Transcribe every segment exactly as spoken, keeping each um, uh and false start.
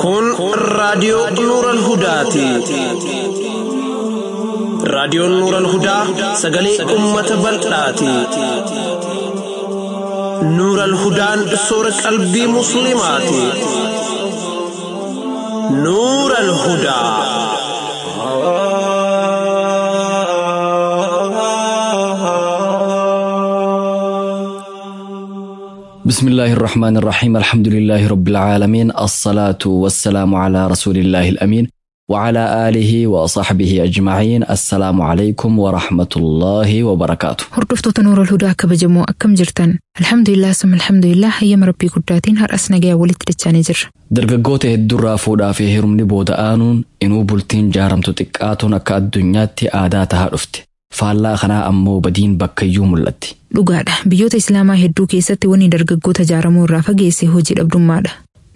Kun raadiyoo Nuural Hudaati. Raadiyoon Nuural Hudaa sagalee uummata bal'aati. Nuural Hudaan soora qalbii Musliimaati. Nuural Hudaa. بسم الله الرحمن الرحيم، الحمد لله رب العالمين، الصلاة والسلام على رسول الله الأمين وعلى آله وصحبه أجمعين. السلام عليكم ورحمة الله وبركاته. Hordoftoota Nuurul Hudaa kabajamoo, akkam jirtan? Alhamdulillah, summa alhamdulillah, hayyama Rabbii guddaatiin har'as nagaya walitti dachaanii jirra. Dargaggoota hedduurraa fuudhaa fi heerumni booda aanuun inuu bultiin jaaramtu xiqqaatuun akka addunyaatti aadaa tahaa dhufte. Faallaa kanaa ammoo badiin bakkayyuu mul'atti. Dhugaadha. Biyyoota Islaamaa hedduu keessatti wanni dargaggoota jaaramuu irraa fageesse hojii dhabdummaadha.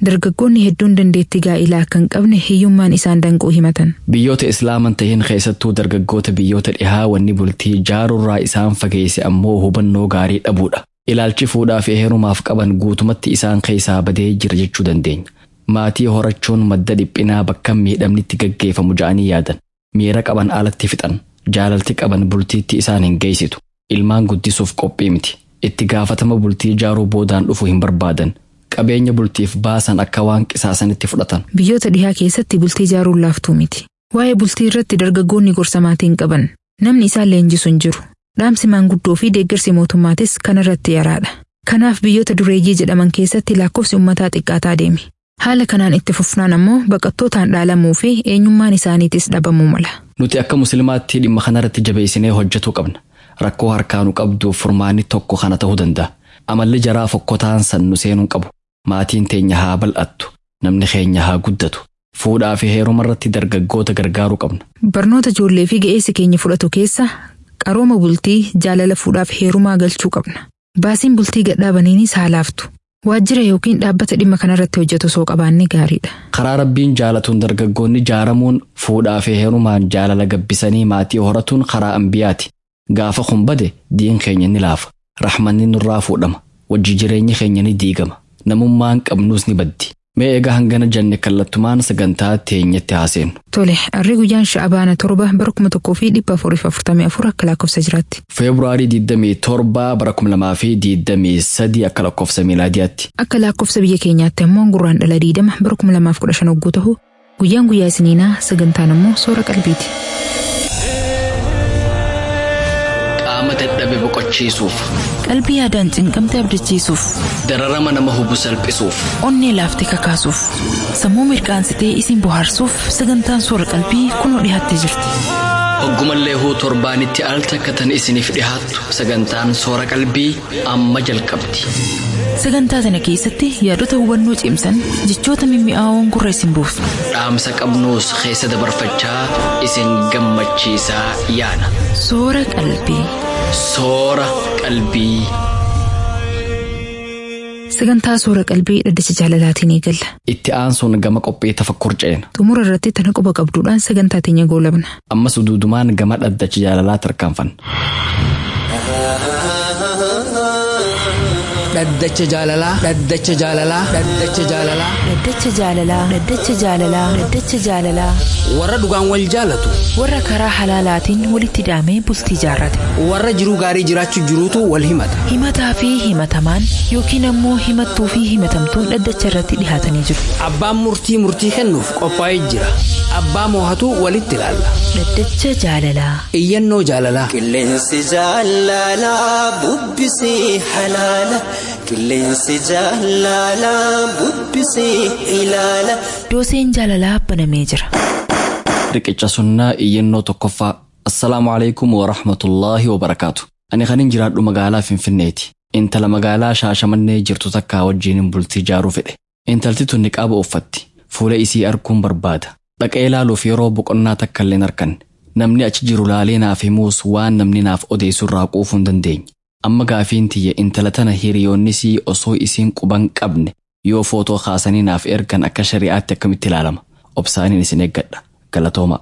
Dargaggoonni hedduun dandeettii gaa'ilaa akka hin qabne hiyyummaan isaan danquu himatan. Biyyoota Islaaman tahin keessattuu dargaggoota biyyoota dhihaa wanni bultii jaaruurraa isaan fageesse ammoo hubannoo gaarii dhabuudha. Ilaalchi fuudhaa fi heerumaaf qaban guutumatti isaan keessaa badee jira jechuu dandeenya. Maatii horachuun madda dhiphinaa bakka miidhamnitti gaggeeffamu ja'anii yaadan. Miira qaban alatti fixan. Jaalalti qaban bultiitti isaan hin geessitu. Ilmaan guddisuuf qophii miti. Itti gaafatama bultii jaaruu boodaan dhufu hin barbaadan. Qabeenya bultiif baasan akka waan qisaasanitti fudhatan. Biyyoota dhihaa keessatti bultii jaaruun laaftuu miti. Waa'ee bultii irratti dargaggoonni gorsa maatii hin qaban. Namni isaan leenjisu hin jiru. Dhaamsi maanguddoo fi deeggarsi mootummaatis kanarratti yaraadha. Kanaaf biyyoota dureeyyii jedhaman keessatti lakkoofsi uummataa xiqqaataa deeme. Haala kanaan itti fufnaan ammoo baqattootaan dhaalamuu fi eenyummaan isaaniitis dhabamuu mala. Nuti akka Musliimaatti dhimma kanarratti jabeessinee hojjetuu qabna. Rakkoo harkaanu qabduuf furmaanni tokko kana ta'uu danda'a. Amalli jaraa fokkotaan san nu seenuu qabu. Maatiin teenya haa bal'attu. Namni keenya haa guddatu. Fuudhaa fi heeruma irratti dargaggoota gargaaruu qabna. Barnoota ijoollee fi ga'eessi keenya fudhatu keessa qarooma bultii, jaalala fuudhaaf heerumaa galchuu qabna. Baasiin bultii gadhaabaniinis haa laaftu. Waajjira yookiin dhaabbata dhimma kanarratti hojjetu osoo qabaanne gaariidha. Karaa Rabbiin jaalatuun dargaggoonni jaaramuun, fuudhaa fi heerumaan jaalala gabbisanii maatii horatuun karaa ambiyaati. Gaafa kun bade diin keenya ni laafa. Raxmanni nurraa fuudhama. Wajji jireenyi keenya ni diigama. Namummaan qabnuus ni baddi. Mee egaa hangana janne kallattumaan sagantaa teenyatti haaseenu. Tole, harri guyyaan Sha'abaana torba bara kuma tokkoo fi dhibba afurii fi afurtamii afur akka lakkoofsa jiraatti. Feebruaarii digdamii torba bara kuma lamaa fi digdamii sadii akka lakkoofsa miilaadiyaatti. Akka lakkoofsa biyya keenyaatti ammoo Gurraandhala digdama bara kuma lamaaf kudha shan hogguu ta'u, guyyaan guyyaa isiniinaa, sagantaan ammoo soora qalbiiti. Qaama dadhabe boqochiisuuf, Qalbii yaadaan cinqamte abdachiisuuf, dararama nama hubu salphisuuf, onnee laaftee kakaasuuf, sammuu mirqaansitee isin bohaarsuuf sagantaan soora qalbii kunoo dhiyaattee jirti. Hoggumallee huu torbaanitti al takka tan isiniif dhihaattu sagantaan soora qalbii amma jalqabdi. Sagantaa tana keessatti yaadota hubannoo cimsan, jechoota mimmi'aawoon gurra isin buusu. Dhaamsa qabnuus keessa dabarfachaa isin gammachiisaa yaana. Soora qalbii. Soora qalbii. Sagantaa soora qalbii dhaddacha jaalalaatiin eegalla. Itti aansuun gama qophii tafakkur ceena. Xumura irratti tana quba qabduudhaan sagantaa teenya goolabna. Ammas duudumaan gama dhaddacha jaalalaa tarkaanfanna. Dhaddacha jaalalaa, dhaddacha jaalalaa, dhaddacha jaalalaa. Dhaddacha jaalalaa, dhaddacha jaalalaa, dhaddacha jaalalaa. Warra dhugaan wal jaalatu. Warra karaa halaalaatiin walitti hidhamee bultii jaarrate. Warra jiruu gaarii jiraachuu jiruutu wal himata. Himataa fi himatamaan yookiin ammoo himattuu fi himatamtuun dhaddacha irratti dhihaatanii jiru. Abbaan murtii murtii kennuuf qophaa'ee jira. Abbaa moohatu walitti ilaalla. Dhaddacha jaalalaa. Iyyannoo jaalalaa. Qilleensi jaalalaa bubbisee halaala. Qilleensi jaalalaa bubbisee ilaala. Dooseen jaalalaa banamee jira. Riqicha sunnaa, iyyannoo tokkoffaa. Assalaamu alaikum wa rahmatullaahi wa barakaatu. Ani kanin jiraadhu magaalaa Finfinneeti. Intala magaalaa Shaashamannee jirtu takkaa wajjinin bultii jaaruu fedhe. Intalti tun niqaaba uffatti. Fuula isii arguun barbaada. Dhaqee ilaaluuf yeroo boqonnaa takka illee hin arganne. Namni achi jiru laalee naaf himuus waan namni naaf odeessu irraa quufuu hin dandeenye. Amma gaafiin tiyya, intala tana hiriyoonnisii osoo isiin quban qabne yoo footoo kaasanii naaf ergan akka shari'aatti akkamitti ilaalama? Obsaaniin isin eeggadha. Galatooma.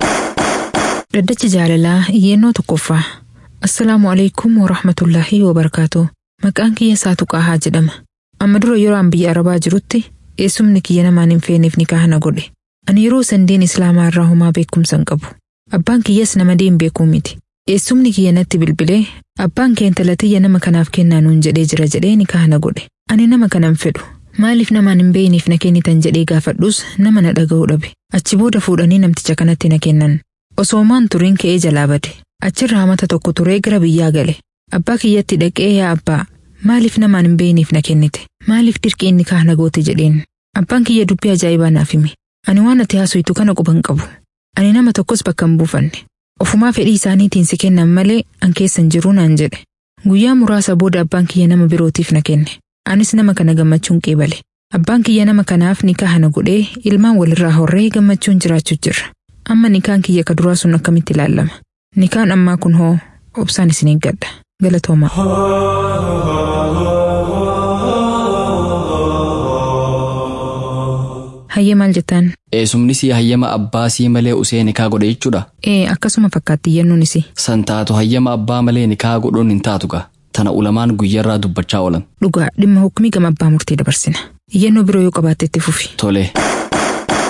Dhaddacha jaalalaa, iyyannoo tokkoffaa. Assalaamu alaikum warahmatullaahi wabarakaatu. Maqaan kiyya Saatu Qaahaa jedhama. Amma dura yeroo an biyya Arabaa jirutti eessumni kiyya namaan hin feeneef nikaaha na godhe. Ani yeroo san diin Islaamaa irraa homaa beekumsa hin qabu. Abbaan kiyyas nama diin beekuu miti. Eessumni kiyya natti bilbilee abbaan kee intala tiyya nama kanaaf kennaa nuun jedhee jira jedhee nikaaha na godhe. Ani nama kana hin fedhu. Maaliif namaan hin beeyniif na kennitan jedhee gaafadhus nama na dhaga'uu dhabe. Achi booda fuudhanii namticha kanatti na kennan. Osoomaan turiin ka'ee jalaa bade. Achirraa mata tokko turee gara biyyaa gale. Abbaa kiyyatti dhaqee yaa abbaa maaliif namaan hin beeyniif na kennite? Maaliif dirqiin nikaah na goote jedheen. Abbaan kiyya dubbii ajaa'ibaa naaf hime. Ani waan ati haasoftu kana quba hin qabu. Ani nama tokkos bakka hin buufanne. Ofumaa fedhii isaaniitiin si kennan malee an keessa hin jiru naan jedhe. Guyyaa muraasa booda abbaan kiyya nama birootiif na kenne. Anis nama kana gammachuun qeebale. Abbaan kiyya nama kanaaf nikaah na godhee ilmaan walirraa horree gammachuun jiraachuu jirra. Amma nikaan kiyya ka duraa sun akkamitti ilaallama? Nikaan ammaa kun hoo obsaan isin eeggadha. Galatoomaa. Hayyee maal jettaan? Eessumni sii hayyama abbaa sii malee usee nikaa godhe jechuudha. Ee akkasuma fakkaatti iyyannoon isii. San taatu hayyama abbaa malee nikaa godhuun hin taatu gaa. Tana ulamaan guyyaarraa dubbachaa oolan. Dhugaa dhimma hukumii gama abbaa murtii dabarsina. Iyyannoo biroo yoo qabaatte itti fufi. Tole.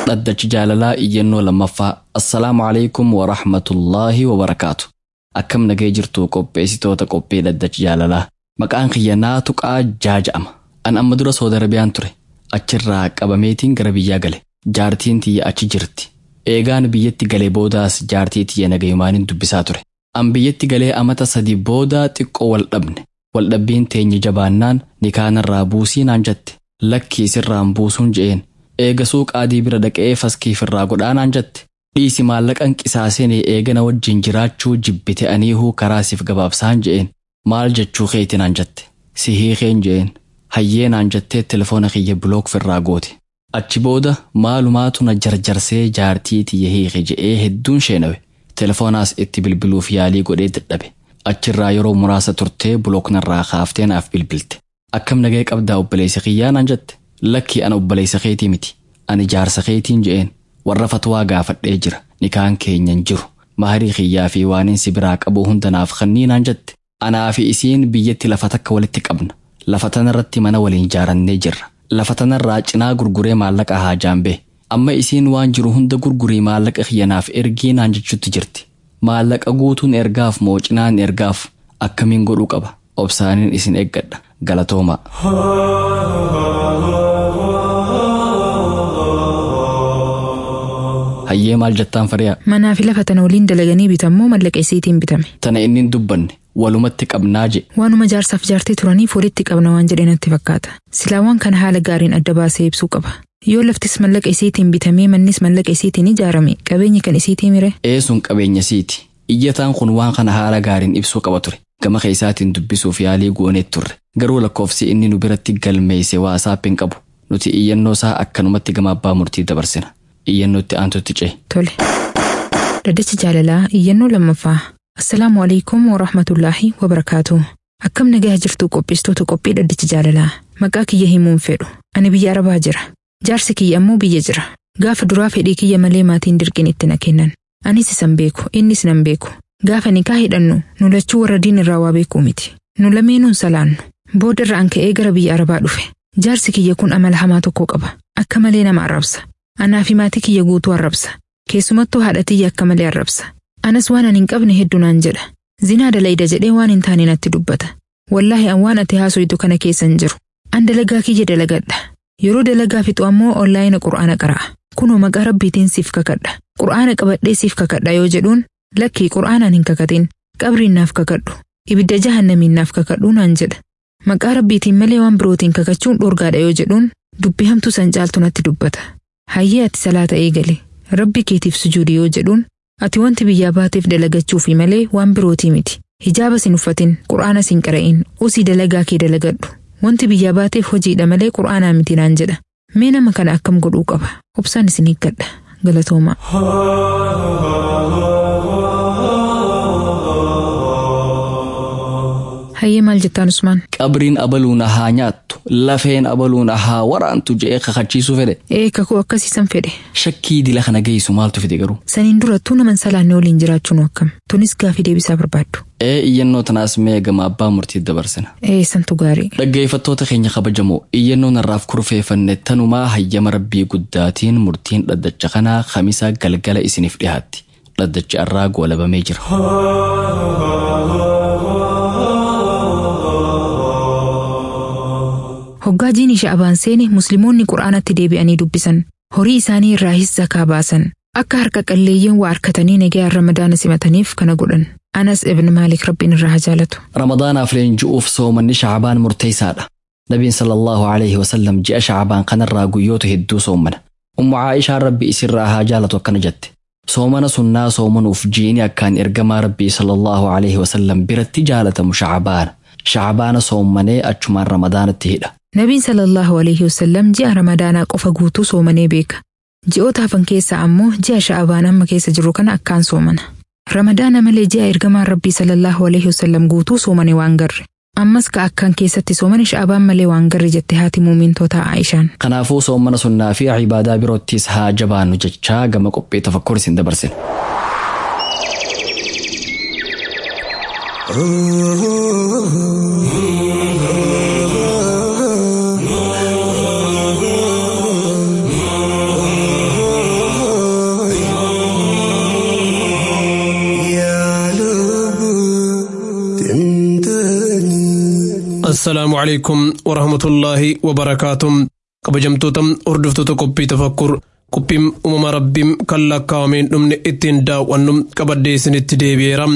Dhaddachi jaalalaa iyyannoo lammaffaa. Assalaamu alaikum wa rahmatullaahi wa barakaatu. Akkam nagee jirtu qopheessitoota qophii dhaddachi jaalalaa. Maqaan kiyya Naatu Qaajjaa jedhama. An amma dura Saudi Arabiyaan ture. Achirraa qabameetiin gara biyyaa gale. Jaartiin tiyya achi jirti. Eegaan biyyatti galee boodaas jaartii tiyya nagayumaanin dubbisaa ture. An biyyatti galee amata sadi booda xiqqoo wal dhabne. Wal dhabbiin teenya jabaannaan nikaanarraa buusii naan jette. Lakkii sirraan buusuun je'een. Eegasuu qaadii bira dhaqee faskiifirraa godhaa naan jette. Dhiisi maallaqan qisaaseen eegana wajjin jiraachuu jibbite aniihuu karaa siif gabaabsaan je'een. Maal jechuu keeti naan jette. Si hiikeen je'een. Hayyee naan jettee telefoona kiyya block firraa goote. Achi booda maalumaatu na jarjarsee jaartii tiyya hiike je'ee hedduun sheenawe. Telefoonaas itti bilbiluuf yaalii godhee dadhabe. Achirraa yeroo muraasa turtee block narraa kaaftee naaf bilbilte. Akkam nagee qabdaa obboleessa kiyyaa naan jette. Lakki ana obboleessa keetii miti. Ani jaarsa keetiin je'een. Warra fatwaa gaafadhee jira. Nikaan keenya hin jiru. Maharii kiyyaa fi waanin si biraa qabu hunda naaf kennii naan jette. Anaa fi isiin biyyatti lafa takka walitti qabna. Lafa tanarratti mana waliin ijaarannee jirra. Lafa tanarraa cinaa gurguree maallaqa haajaan bee. Amma isiin waan jiru hunda gurgurii maallaqa kiyya naaf ergii naan jechuutti jirti. Maallaqa guutuun ergaaf moo cinaan ergaaf akkamiin godhuu qaba? Obsaaniin isin eeggadha. Galatoomaa. Hayyee maal jettaan fariyaa? Manaa fi lafa tana waliin dalaganii bitammoo maallaqa isiitiin bitame. Tana inni hin dubbanne walumatti qabnaa je. Waanuma jaarsaaf jaartii turaniif walitti qabna waan jedhe natti fakkaata. Silaa waan kana haala gaariin adda baasee ibsuu qaba. Yoo laftis mallaqa isiitiin bitamee mannis mallaqa isiitiin ijaarame qabeenyi kan isiitii mire. Eesuun qabeenya siiti. Iyyataan kun waan kana haala gaariin ibsuu qaba ture. Gama keessaatiin dubbisuuf yaalii goonee turre. Garuu lakkoofsi inni nu biratti galmeesse WhatsApp hin qabu. Nuti iyyannoo isaa akkanumatti gama abbaa murtii dabarsina. Iyyannootti aantutti ce'e. Tole. Dhaddacha jaalalaa iyyannoo lammaffaa. Assalaamu alaikum wa rahmatullaahi wa barakaatu. Akkam nagaa jirtu qopheessitoota qophii dhaddacha jaalalaa. Maqaa kiyya himuun fedhu. Ani biyya Arabaa jira. Jaarsi kiyya ammoo biyya jira. Gaafa duraa fedhii kiyya malee maatiin dirqiin itti na kennan. Anis isan beeku, innis nan beeku. Gaafa nikaa hidhannu nu lachuu warra diin irraa waa beekuu miti. Nu lameenuun salaannu. Booda irra an ka'ee gara biyya Arabaa dhufe. Jaarsi kiyya kun amala hamaa tokko qaba. Akka malee nama arrabsa. Anaa fi maatii kiyya guutuu arrabsa. Keessumattuu haadha tiyya akka malee arrabsa. Anas waan ani hin qabne hedduu naan jedha. Zinaa dalayda jedhee waan hin taane natti dubbata. Wallaahi an waan ati haasoytu kana keessa hin jiru. An dalagaa kiyya dalagadha. Yeroo dalagaa fixu ammoo onlaayina qur'aana qara'a. Kunoo maqaa rabbiitiin siif kakadha. Qur'aana qabadhee siif kakadha yoo jedhuun lakkii qur'aanaan hin kakatin. Qabriin naaf kakadhu. Ibidda jahannamiin naaf kakadhu naan jedha. Maqaa rabbiitiin malee waan birootiin kakachuun dhorgaadha yoo jedhuun dubbii hamtuu san caaltu natti dubbata. Hayyee ati salaata eegale. Rabbi keetiif sujuudi yoo jedhuun ati wanti biyyaa baateef dalagachuufi malee waan birootii miti. Hijaaba sin uffatin, qur'aana sin qara'in, usii dalagaa kee dalagadhu. Wanti biyyaa baateef hojiidha malee qur'aanaa miti naan jedha. Mee nama kana akkam godhuu qaba? Obsaan isin hiikkadha. Galatoomaa. Hayyee maal jettaan Usmaan? Qabriin abaluuna haa nyaattu, lafeen abaluuna haa waraantu je'ee kakachiisuu fedhe. Ee kakuu akkasiisan fedhe. Shakkii dila kana geessu maaltu fide garuu? Saniin durattuu naman salaanne waliin jiraachuun akkam? Tunis gaafii deebisaa barbaaddu. Ee iyyannoo tanaas mee gama abbaa murtii dabarsina. Ee santu gaarii. Dhaggeeffattoota keenya kabajamoo iyyannoo narraaf kurfeeffanne tanumaa hayyama rabbii guddaatiin murtiin dhaddacha kanaa kamisa galgala isiniif dhiyaatti. Dhaddachi arraa goolabamee jira. Hoggaa jiini sha'abaan seene musliimoonni qura'aanatti deebi'anii dubbisan. Horii isaanii irraahis zakaa baasan. Akka harka qalleeyyiin waa harkatanii nagaa ramadaana simataniif kana godhan. Anas ibn Maalik rabbiin irraa haa jaalatu. Ramadaanaaf leenji'uuf soomanni sha'abaan murteessaadha. Nabiin sallallahu alaihi wasallam ji'a sha'abaan kanarraa guyyoota hedduu soomana. Ummu Aayishaan rabbi isirraa haa jaalatu akkana jette. Soomana sunnaa soomanuuf jiini akkaan ergamaa rabbii sallallahu alaihi wasallam biratti jaalatamu sha'abaana. Sha'abaana soommanee achumaan ramadaanatti hidha. Nabiin sallallahu alaihi wasallam ji'a ramadaanaa qofa guutuu soomanee beeka. Ji'oota hafan keessaa ammoo ji'a sha'abaan amma keessa jiru kana akkaan soomana. Ramadaana malee ji'a ergamaan rabbii sallallahu alaihi wasallam guutuu soomane waan garre. Ammas ka akkaan keessatti soomane sha'abaan malee waan garre jette haati muumintootaa Aayishaan. Kanaafuu soomana sunnaa fi ibaadaa biroottis haa jabaannu jechaa gama qophii tafakkur isin dabarsina. Assalaamu calaykum warahmatullaahi wabarakaatuh. Kabajamtoota hordoftoota qophii tafakkur qophiin uumama rabbiin kan lakkaa'ameen dhumne ittiin daawwannu qabadhee isinitti deebi'eera.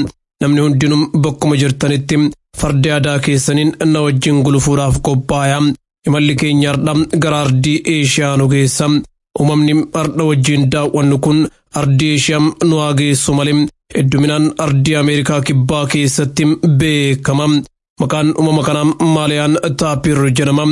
Namni hundinuu bakkuma jirtanitti fardi aadaa keessaniin na wajjin gulufuudhaaf qophaa'aa. Imalli keenya har'a gara ardii Eeshiyaa nu geessa. Uumamni har'a wajjin daawwannu kun ardii Eeshiyaa nu haa geessu malee hedduminaan ardii Ameerikaa kibbaa keessatti beekama. Maqaan uumama kanaa Maaliyaan Taapir jedhama.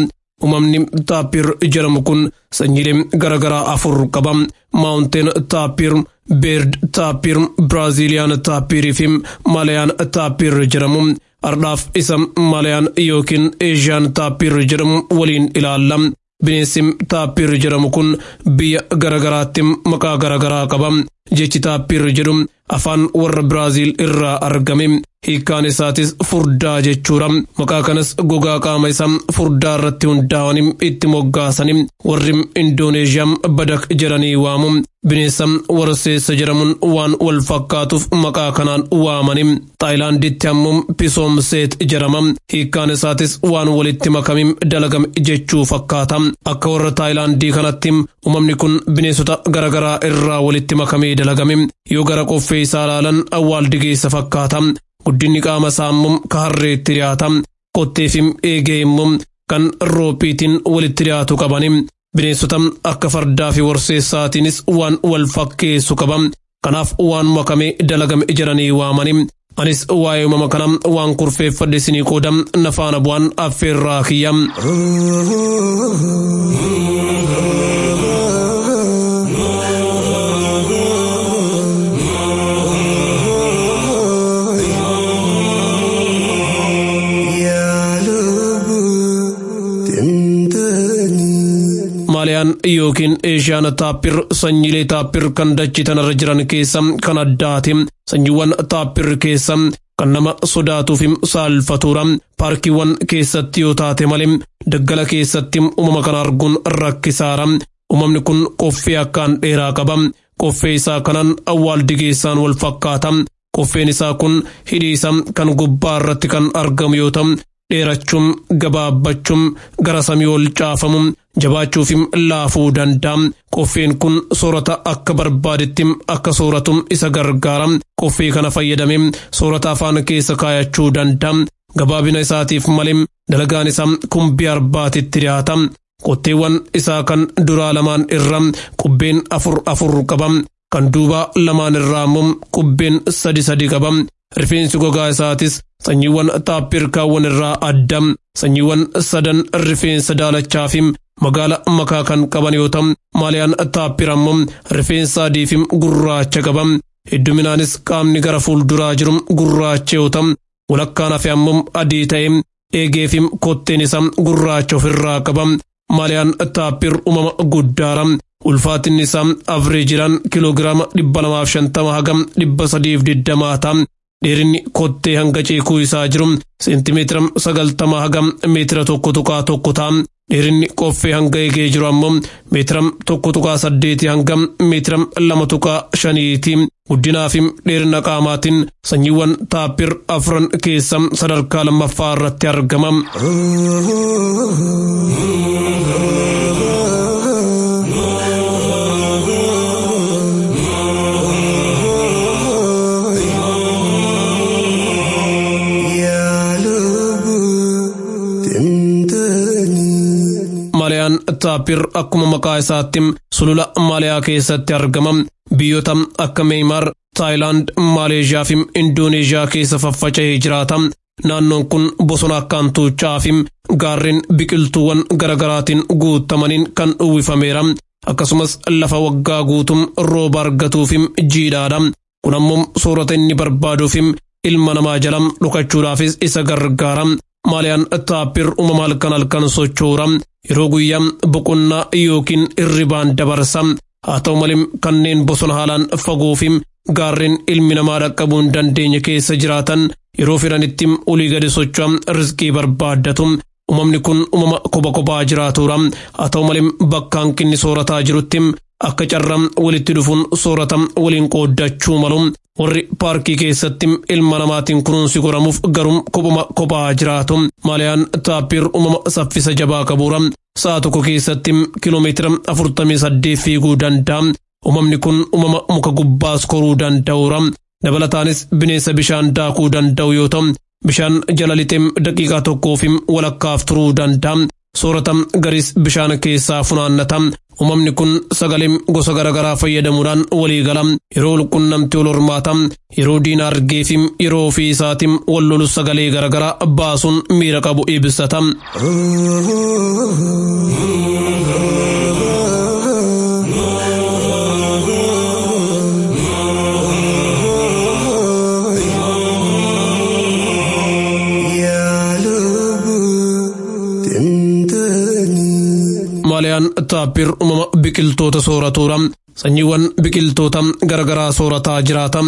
Uumamni Taapir jedhamu kun sanyiilee garaagaraa afur qaba. Maawunteen Taapir, Beerd Taapir, Biraaziliyaan Taapirii fi Maaliyaan Taapir jedhamu. Ardhaaf isa Maaliyaan yookiin Eeshiyaan Taapir jedhamu waliin ilaalla. Bineensi Taapir jedhamu kun biyya garaagaraatti maqaa garaagaraa qaba. Jechi Taapir jedhu afaan warra Biraaziil irraa argame. Hiikkaan isaatis furdaa jechuudha. Maqaa kanas gogaa qaama isaa furdaa irratti hundaa'anii itti moggaasanii warri Indooneeshiyaa badak jedhanii waamu. Bineensa warseessa jedhamuun waan wal fakkaatuuf maqaa kanaan waamani. Taayilaanditti ammoo pisoomseet jedhama. Hiikkaan isaatis waan walitti makamee dalagame jechuu fakkaata. Akka warra Taayilaandii kanatti uumamni kun bineensota garaagaraa irraa walitti makamee dalagame. Yoo gara qoffee isaa ilaalan awwaaldigeessa fakkaata. Guddinni qaama isaa immoo ka harreetti dhiyaata. Qottee fi eegee immoo kan roophiitiin walitti dhiyaatu qabani. Bineensota akka fardaa fi warseessaatiinis waan wal fakkeessu qaba. Kanaaf waan makamee dalagame jedhanii waamani. Anis waa'ee uumama kana waan kurfeeffadhe isinii qooda na faana bu'aan affeerraa kiyya. Maaliyaan yookiin Eeshiyaan taappir sanyiilee taappir kan dachee tanarra jiran keessa kan addaati. Sanyiiwwan taappir keessa kan nama sodaatuu fi saalfatuudha. Paarkiiwwan keessatti yoo taate malee daggala keessatti uumama kana arguun rakkisaadha. Uumamni kun qoffee akkaan dheeraa qaba. Qoffee isaa kanaan awwaaldigeessaan wal fakkaata. Qoffeen isaa kun hidhii isaa kan gubbaa irratti kan argamu yoo ta'u, dheerachuun gabaabbachuun gara samii ol caafamu jabaachuu fi laafuu danda'a. Qoffeen kun soorata akka barbaadetti akka sooratu isa gargaara. Qoffee kana fayyadamee soorata afaan keessa kaayachuu danda'a. Gabaabina isaatiif malee dalagaan isaa kumbii arbaatitti dhiyaata. Qotteewwan isaa kan duraa lamaan irra qubbeen afur afur qaba. Kan duubaa lamaan irraa immoo qubbeen sadi sadi qaba. Rifeensi gogaa isaatis sanyiiwwan taappirkaawwan irraa adda. Sanyiiwwan sadan rifeensa daalachaa fi magaala makaa kan qaban yoo ta'u, maaliyaan taappir ammoo rifeensa adii fi gurraacha qaba. Hedduminaanis qaamni gara fuulduraa jiru gurraacha yoo ta'u, Walakkaan hafe ammoo adii ta'e eegeefi kotteen isaa gurraacha ofirraa qaba. Maaliyaan taappir uumama guddaara. Ulfaatinni isaa avreejiraan kiiloogiraama dhibba lamaaf shantama haga dhibba sadiif digdamaa ta'a. Dheerinni kottee hanga ceekuu isaa jiru seentimeetira sagaltama haga meetira tokko tuqaa tokko ta'a. Dheerinni qoffee hanga eegee jiru ammoo meetira tokko tuqaa saddeeti hanga meetira lama tuqaa shaniiti. Guddinaa fi dheerina qaamaatiin sanyiiwwan taappir afran keessa sadarkaa lammaffaa irratti argama. Maaliyaan taappir akkuma maqaa isaatti sulula Maaliyaa keessatti argama. Biyyoota akka Meeymaar, Taayilaand, Maaleeshiyaa fi Indooneeshiyaa keessa faffaca'ee jiraata. Naannoon kun bosona akkaan tuucha'aa fi gaarreen biqiltuuwwan garaagaraatiin guutamaniin kan uwwifameera. Akkasumas lafa waggaa guutuu rooba argatuu fi jiidhaadha. Kun ammoo soorata inni barbaaduu fi ilma namaa jala dhokachuudhaafis isa gargaara. Maaliyaan taappir uumama halkan halkan sochoora. Yeroo guyyaa boqonnaa yookiin hirribaan dabarsa. Haa ta'u malee kanneen bosona haalaan fagoo fi gaarreen ilmi namaa dhaqqabuu hin dandeenye keessa jiraatan yeroo fedhanitti olii gadi socho'an riskii barbaaddatu. Uumamni kun uumama kopha kophaa jiraatudha. Haa ta'u malee bakka hanqinni soorataa jirutti akka carraa walitti dhufuun soorata waliin qooddachuu malu. Warri paarkii keessatti ilma namaatiin kunuunsi godhamuuf garuu kophuma kophaa jiraatu. Maaliyaan taappir uumama saffisa jabaa qabuura. Sa'a tokko keessatti kiiloomeetira afurtamii saddeet fiiguu danda'a. Uumamni kun uumama muka gubbaas koruu danda'uura. Dabalataanis bineensa bishaan daakuu danda'u yoo ta'u, bishaan jala lixee daqiiqaa tokkoo fi walakkaaf turuu danda'a. Soorata garis bishaan keessaa funaannata. Uumamni kun sagalee gosa garaagaraa fayyadamuudhaan walii gala. Yeroo walqunnamtii wal hormaata. Yeroo diina argee fi yeroo ofii isaatiin wal lolu sagalee garaagaraa baasuun miira qabu ibsata. Maaliyaan taappir uumama biqiltoota sooratuudha. Sanyiiwwan biqiltoota garaagaraa soorataa jiraata.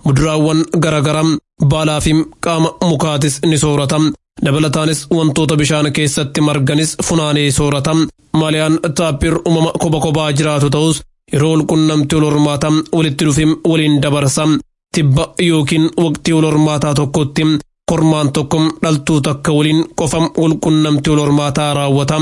Muduraawwan garaagaraa baalaa fi qaama mukaatis ni soorata. Dabalataanis wantoota bishaan keessatti marganis funaanee soorata. Maaliyaan taappir uumama kopha kophaa jiraatu ta'us yeroo walqunnamtii wal hormaata walitti dhufee waliin dabarsa. Tibba yookiin waqtii wal hormaataa tokkotti kormaan tokko dhaltuu takka waliin qofa walqunnamtii wal hormaataa raawwata.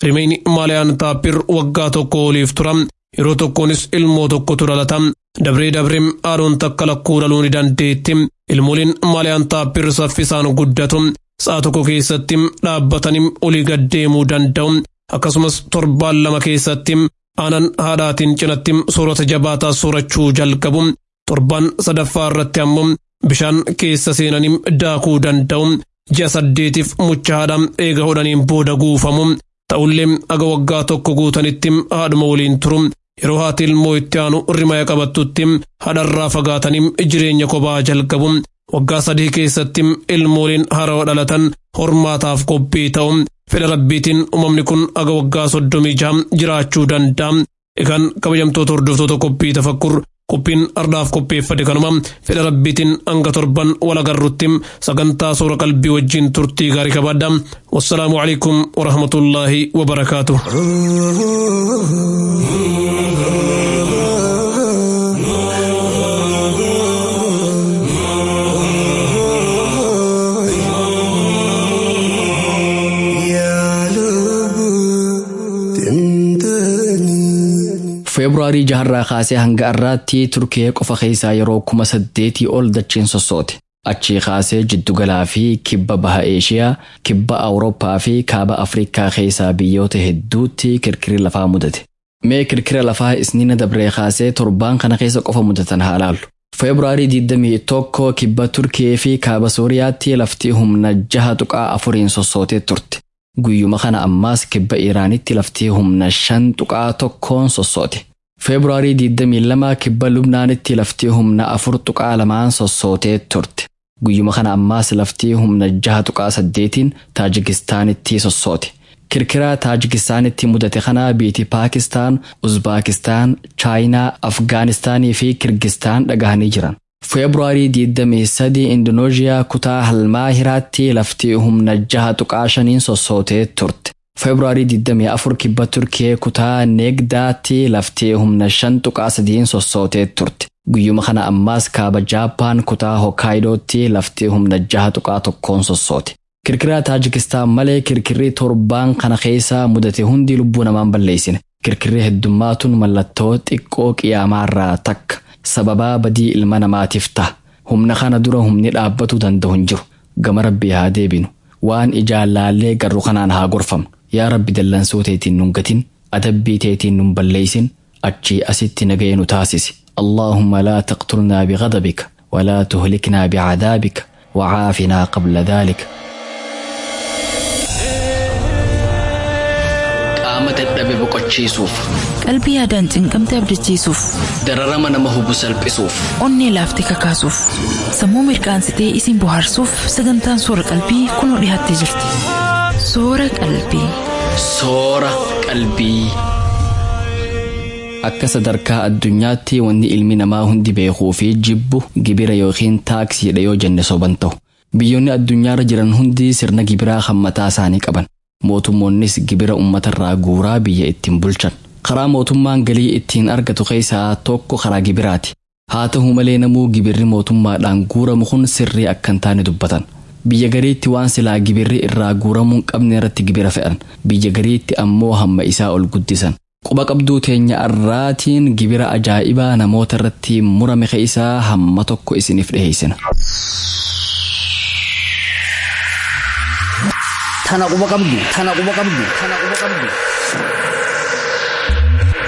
Rimeyni maaliyaan taappir waggaa tokko oliif tura. Yeroo tokkoonis ilmoo tokkotu dhalata. Dabree dabree haaroon takka lakkuu dhaluu ni dandeetti. Ilmooliin maaliyaan taappir saffisaan guddatu. Sa'a tokko keessatti dhaabbatanii olii gad deemuu danda'u. Akkasumas torbaan lama keessatti aanan haadhaatiin cinatti soorata jabaataa soorachuu jalqabu. Torbaan sadaffaa irratti ammoo bishaan keessa seenanii daakuu danda'u. Ji'a saddeetiif mucha haadhaa eega hodhaniin booda guufamu. Ta'ullee aga waggaa tokko guutanitti haadhuma waliin turu. Yeroo haati ilmoo itti aanu rimaya qabattutti haadharraa fagaatanii jireenya kophaa jalqabu. Waggaa sadii keessatti ilmooliin haarawaa dhalatan hormaataaf qophii ta'u. Fedha rabbiitiin uumamni kun aga waggaa soddomii jaha jiraachuu danda'a. Egaan kabajamtoota hordoftoota qophii tafakkur qophiin ardaaf qopheeffate kanuma fedha rabbiitiin hanga torban wal agarrutti sagantaa soora qalbii wajjin turtii gaarii qabaadha. Wassalaamu alaikum warahmatullaahi wabarakaatu. Feebruaarii jaharraa kaasee hanga har'aatti Turkiyee qofa keessaa yeroo kuma saddeetii ol dacheen sossoote. Achii kaasee jiddugalaa fi kibba baha Eeshiyaa, kibba Awurooppaa fi kaaba Afrikaa keessaa biyyoota hedduutti kirkirri lafaa mudate. Mee kirkira lafaa isniina dabree kaasee torbaan kana keessa qofa mudatan haa laallu. Feebruaarii digdamii tokko kibba Turkiyee fi kaaba Sooriyaatti lafti humna jaha tuqaa afuriin sossootee turte. Guyyuma kana ammaas kibba Iraanitti lafti humna shan tuqaa tokkoon sossoote. Feebruaarii digdamii lama kibba Lubnaanitti lafti humna afur tuqaa lamaan sossootee turte. Guyyuma kana ammaas lafti humna jaha tuqaa saddeetiin Taajikistaanitti sossoote. Kirkira Taajikistaanitti mudate kana biiti Paakistaan, Uzbaakistaan, Chaayinaa, Afgaanistaanii fi Kirgistaan dhagahanii jiran. Feebruaarii digdamii sadii Indoneeziyaa kutaa Halmaahiraatti lafti humna jaha tuqaa shaniin sossootee turte. Feebruaarii digdamii afur kibba Turkiyee kutaa Neegdaatti lafti humna shan tuqaa sadiin sossootee turte. Guyyuma kana ammaas kaaba Jaappaan kutaa Hokkaayidotti lafti humna jaha tuqaa tokkoon sossoote. Kirkira Taajikistaan malee kirkirri torbaan kana keessaa mudate hundi lubbuu namaan balleessine. Kirkirri heddummaatuun mallattoo xiqqoo qiyaamaarraa takka. Sababaa badii ilma namaatiif ta'a. Humna kana dura humni dhaabbatuu danda'u hin jiru. Gama Rabbii haa deebinu. Waan ijaan laallee garru kanaan haa gorfamnu. Yaa Rabbi dallansuu teetiin nun gatin, adabbii teetiin nun balleessin, achii asitti nagaya nu taasisi. Allaahumma laa taqtulnaa bighadabika, walaa tuhliknaa bicadaabika, wacaafinaa qabla dhaalika. Qaama dadhabe boqochiisuuf. Qalbii yaadaan cinqamte abdachiisuuf. Dararama nama hubu salphisuuf. Onnee laaftee kakaasuuf. Sammuu mirqaansitee isin bohaarsuuf sagantaan soora qalbii kunoo dhiyaattee jirti. Soora qalbii. Soora qalbii. Akka sadarkaa addunyaatti wanni ilmi namaa hundi beekuu fi jibbu gibira yookiin taaksiidha yoo jenne soban ta'u. Biyyoonni addunyaarra jiran hundi sirna gibiraa kan mataa isaanii qaban. Mootummoonnis gibira uummatarraa guuraa biyya ittiin bulchan. Karaa mootummaan galii ittiin argatu keessaa tokko karaa gibiraati. Haa ta'u malee namuu gibirri mootummaadhaan guuramu kun sirrii akka hin taane dubbatan. Biyya gariitti waan silaa gibirri irraa guuramuu hin qabne irratti gibira fe'an. Biyya gariitti ammoo hamma isaa ol guddisan. Quba qabduu teenya arraatiin gibira ajaa'ibaa namoota irratti murame keessaa hamma tokko isiniif dhiheessina. Tana quba qabdu, tana quba qabdu, tana quba qabdu.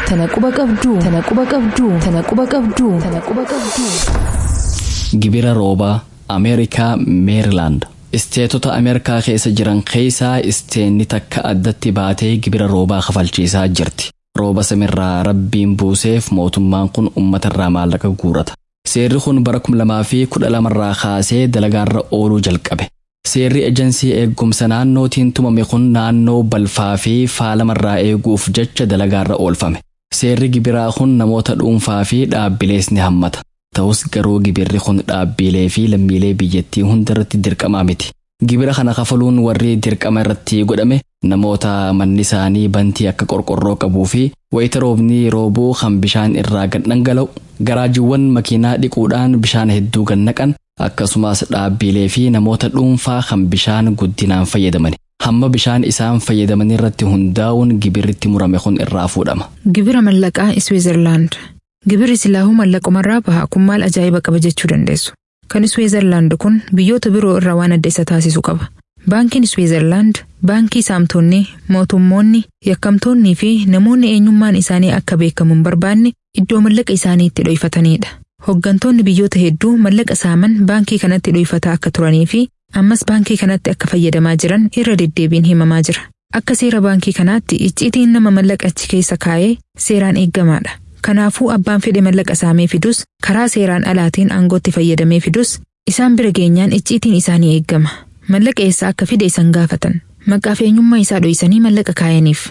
Tana quba qabdu, tana quba qabdu, tana quba qabdu, tana quba qabdu. Gibira roobaa Ameerikaa Meerilaand. Isteetota Ameerikaa keessa jiran keessaa isteenni takka addatti baatee gibira roobaa kafalchiisaa jirti. Rooba samirraa rabbiin buuseef mootummaan kun uummatarraa maallaqa guurata. Seerri kun bara kuma lamaa fi kudha lamarraa kaasee dalagaarra ooluu jalqabe. Seerri ejensii eegumsa naannootiin tumame kun naannoo balfaa fi faalamarraa eeguuf jecha dalagaarra oolfame. Seerri gibiraa kun namoota dhuunfaa fi dhaabbilees ni hammata. Ta'us garuu gibirri kun dhaabbilee fi lammiilee biyyattii hundarratti dirqamaa miti. Gibira kana kafaluun warri dirqama irratti godhame namoota manni isaanii bantii akka qorqorroo qabuu fi wayita roobni roobuu kan bishaan irraa gad dhangala'u, garaajiiwwan makiinaa dhiquudhaan bishaan hedduu gad naqan, akkasumas dhaabbilee fi namoota dhuunfaa kan bishaan guddinaan fayyadaman. Hamma bishaan isaan fayyadaman irratti hundaa'uun gibirritti murame kun irraa fuudhama. Gibira mallaqaa Iswiizerlaand. Gibirri silaahuu mallaqumarraa baha kun maal ajaa'iba qaba jechuu dandeessu. Kan Iswiizerlaand kun biyyoota biroo irraa waan adda isa taasisu qaba. Baankiin Iswiizerlaand baankii saamtonni, mootummoonni, yakkamtoonnii fi namoonni eenyummaan isaanii akka beekamu hin barbaanne iddoo mallaqa isaanii itti dho'ifatanidha. Hooggantoonni biyyoota hedduu mallaqa saaman baankii kanatti dho'ifataa akka turanii fi ammas baankii kanatti akka fayyadamaa jiran irra deddeebiin himamaa jira. Akka seera baankii kanaatti icciitiin nama mallaqa achi keessa kaa'ee seeraan eeggamaadha. Kanaafuu abbaan fedhe mallaqa saamee fidus karaa seeraan alaatiin aangootti fayyadamee fidus isaan bira geenyaan icciitiin isaanii eeggama. Mallaqa eessaa akka fide isaan gaafatan. Maqaaf eenyummaa isaa dho'isanii mallaqa kaayaniif.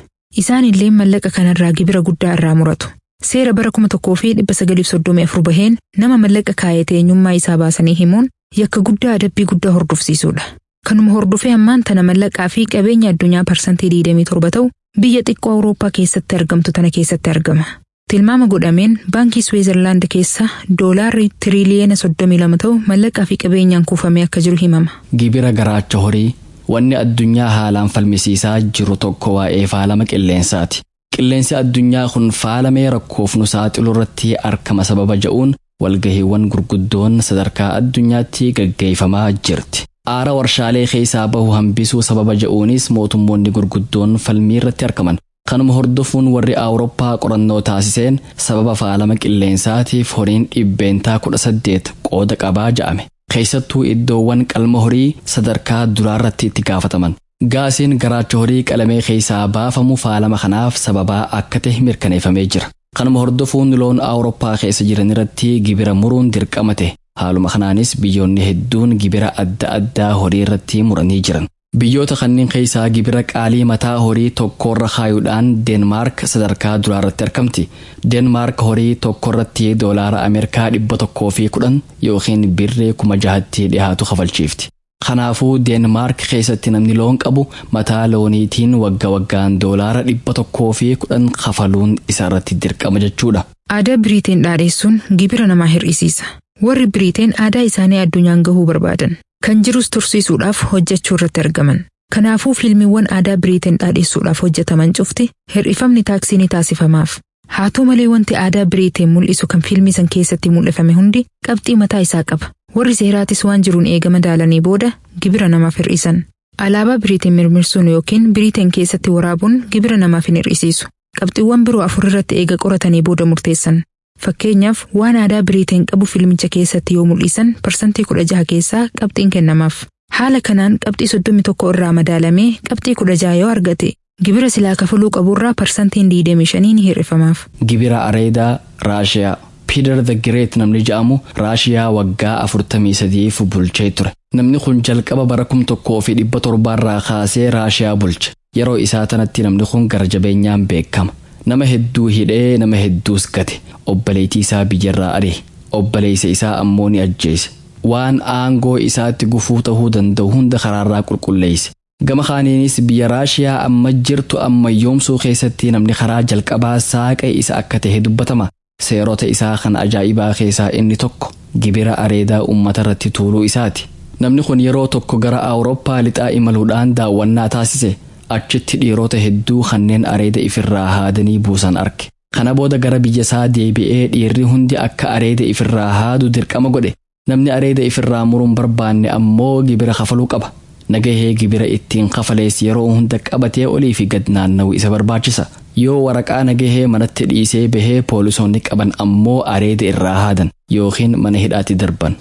Isaan illee mallaqa kanarraa gibira guddaa irraa muratu. Seera bara kuma tokkoo fi dhibba sagaliif soddomii afur baheen nama mallaqa kaayate eenyummaa isaa baasanii himuun yakka guddaa adabbii guddaa hordofsiisudha. Kanuma hordofee ammaan tana mallaqaa fi qabeenya addunyaa parsantii digdamii torba ta'u biyya xiqqoo Awurooppaa keessatti argamtu tana keessatti argama. Tilmaama godhameen baankii Swiizerlaand keessa doolaarri tiriliyeena soddomii lama ta'u mallaqaa fi qabeenyaan kuufamee akka jiru himama. Gibira garaacha horii wanni addunyaa haalaan falmisiisaa jiru tokko waa'ee faalama qilleensaati. Qilleensi addunyaa kun faalamee rakkoof nu saaxilu irratti argama sababa ja'uun walgahiiwwan gurguddoon sadarkaa addunyaatti gaggeeffamaa jirti. Aara warshaalee keessaa bahu hambisuu sababa ja'uunis mootummoonni gurguddoon falmii irratti argaman. Kanuma hordofuun warri Awurooppaa qorannoo taasiseen sababa faalama qilleensaatiif horiin dhibbeentaa kudha saddeet qooda qabaa ja'ame. Keessattuu iddoowwan qalma horii sadarkaa duraarratti itti gaafataman. Gaasiin garaacha horii qalamee keessaa baafamu faalama kanaaf sababaa akka ta'e mirkaneeffamee jira. Kanuma hordofuun loon Awurooppaa keessa jiran irratti gibira muruun dirqama ta'e. Haaluma kanaanis biyyoonni hedduun gibira adda addaa horii irratti muranii jiran. Biyyoota kanneen keessaa gibira qaalii mataa horii tokkorra kaayuudhaan Deenmaark sadarkaa duraarratti argamti. Deenmaark horii tokkorratti doolaara Ameerikaa dhibba tokkoo fi kudhan yookiin birree kuma jahatti dhiyaatu kafalchiifti. Kanaafuu Deenmaark keessatti namni loon qabu mataa looniitiin wagga waggaan doolaara dhibba tokkoo fi kudhan kafaluun isarratti dirqama jechuudha. Aadaa Biriiteen dhaadheessuun gibira namaa hir'isiisa. Warri Biriiteen aadaa isaanii addunyaan gahuu barbaadan. Kan jirus tursiisuudhaaf hojjechuu irratti argaman. Kanaafuu fiilmiiwwan aadaa Biriiteen dhaadheessuudhaaf hojjetaman cufti hir'ifamni taaksii ni taasifamaaf. Haa ta'u malee wanti aadaa Biriiteen mul'isu kan fiilmii san keessatti mul'ifame hundi qabxii mataa isaa qaba. Warri seeraatis waan jiruun eegama daalanii booda gibira namaaf hir'isan. Alaabaa Biriiteen mirmirsuun yookiin Biriiteen keessatti waraabuun gibira namaaf hin hir'isiisu. Qabxiiwwan biroo afur irratti eega qoratanii booda murteessan. Fakkeenyaaf waan aadaa Biriiteen qabu fiilmicha keessatti yoo mul'isan parsantii kudha jaha keessaa qabxiin kennamaaf. Haala kanaan qabxii soddomii tokko irraa madaalamee qabxii kudha jaha yoo argate gibira silaa kafaluu qaburraa parsantiin digdamii shanii ni hir'ifamaaf. Gibira Areedaa Raashiyaa. Peter the Great namni jedhamu Raashiyaa waggaa afurtamii sadiif bulchee ture. Namni kun jalqaba bara kum tokkoo fi dhibba torbaarraa kaasee Raashiyaa bulche. Yeroo isaa tanatti namni kun gara jabeenyaan beekama. Nama hedduu hidhee nama hedduus gate. Obboleettii isaa biyyarraa ari'e. Obboleessa isaa ammoo ni ajjeese. Waan aangoo isaatti gufuu ta'uu danda'u hunda karaarraa qulqulleesse. Gama kaaniinis biyya Raashiyaa amma jirtu ammayyoomsuu keessatti namni karaa jalqabaa saaqe isa akka ta'e dubbatama. Seerota isaa kan ajaa'ibaa keessaa inni tokko gibira areedaa uummata irratti tuuluu isaati. Namni kun yeroo tokko gara Awurooppaa lixaa imaluudhaan daawwannaa taasise. Achitti dhiirota hedduu kanneen areeda ifirraa haadanii buusan arge. Kana booda gara biyya isaa deebi'ee dhiirri hundi akka areeda ifirraa haadu dirqama godhe. Namni areeda ifirraa muruun barbaanne ammoo gibira kafaluu qaba. Nagahee gibira ittiin kafalees yeroo hunda qabatee olii fi gad naanna'u isa barbaachisa. Yoo waraqaa nagahee manatti dhiisee bahee poolisoonni qaban ammoo areeda irraa haadan yookiin mana hidhaatti darban.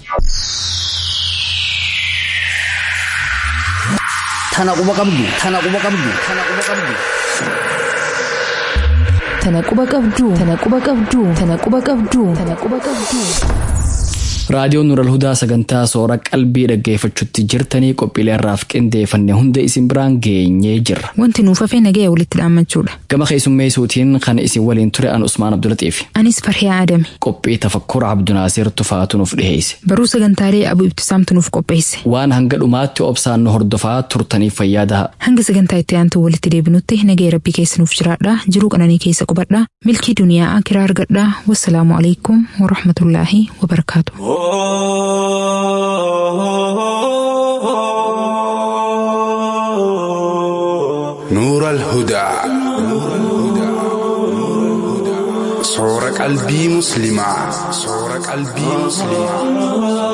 Tana quba qabdu. Tana quba qabdu. Tana quba qabdu. Tana quba qabdu. Tana quba qabdu. Tana quba qabdu. Tana quba qabdu. Raadiyoon Nural Hudaa sagantaa soora qalbii dhaggeeffachuutti jirtanii qophiilee irraaf qindeeffanne hunda isin biraan geenyee jirra. Wanti nuuf hafee nagaya walitti dhaammachuudha. Gama keessummeessuutiin kan isin waliin ture an Usmaan Abdulaxiif. Anis Farhiyaa Adame. Qophii tafakkura Abdunaasir Tufaatu nuuf dhiheesse. Baruu sagantaalee Abu Ibtisaamtu nuuf qopheesse. Waan hanga dhumaatti obsaan nu hordofaa turtaniif fayyaa daha. Hanga sagantaa itti aantu walitti deebinutti nagaya rabbii keessa nuuf jiraadha. Jiruu qananii keessa qubadha. Milkii duniyaa akiraa argadha. Wassalaamu alaikum warahmatullaahi wabarakaatu. نور الهدى صور قلبي مسلمة صور قلبي مسلمة.